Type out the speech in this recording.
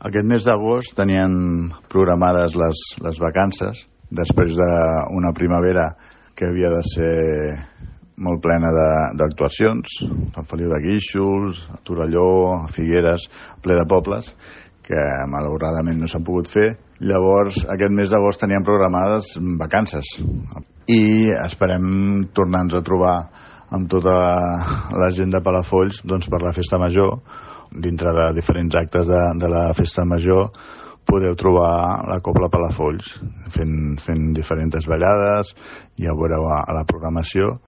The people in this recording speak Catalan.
Aquest mes d'agost tenien programades les vacances, després d'una primavera que havia de ser molt plena d'actuacions, Sant Feliu de Guíxols, a Torelló, a Figueres, ple de pobles, que malauradament no s'han pogut fer. Llavors, aquest mes d'agost teníem programades vacances i esperem tornar-nos a trobar amb tota la gent de Palafolls per la festa major. Dintre de diferents actes de la festa major podeu trobar la Cobla Palafolls fent diferents ballades, ja ho veureu a la programació,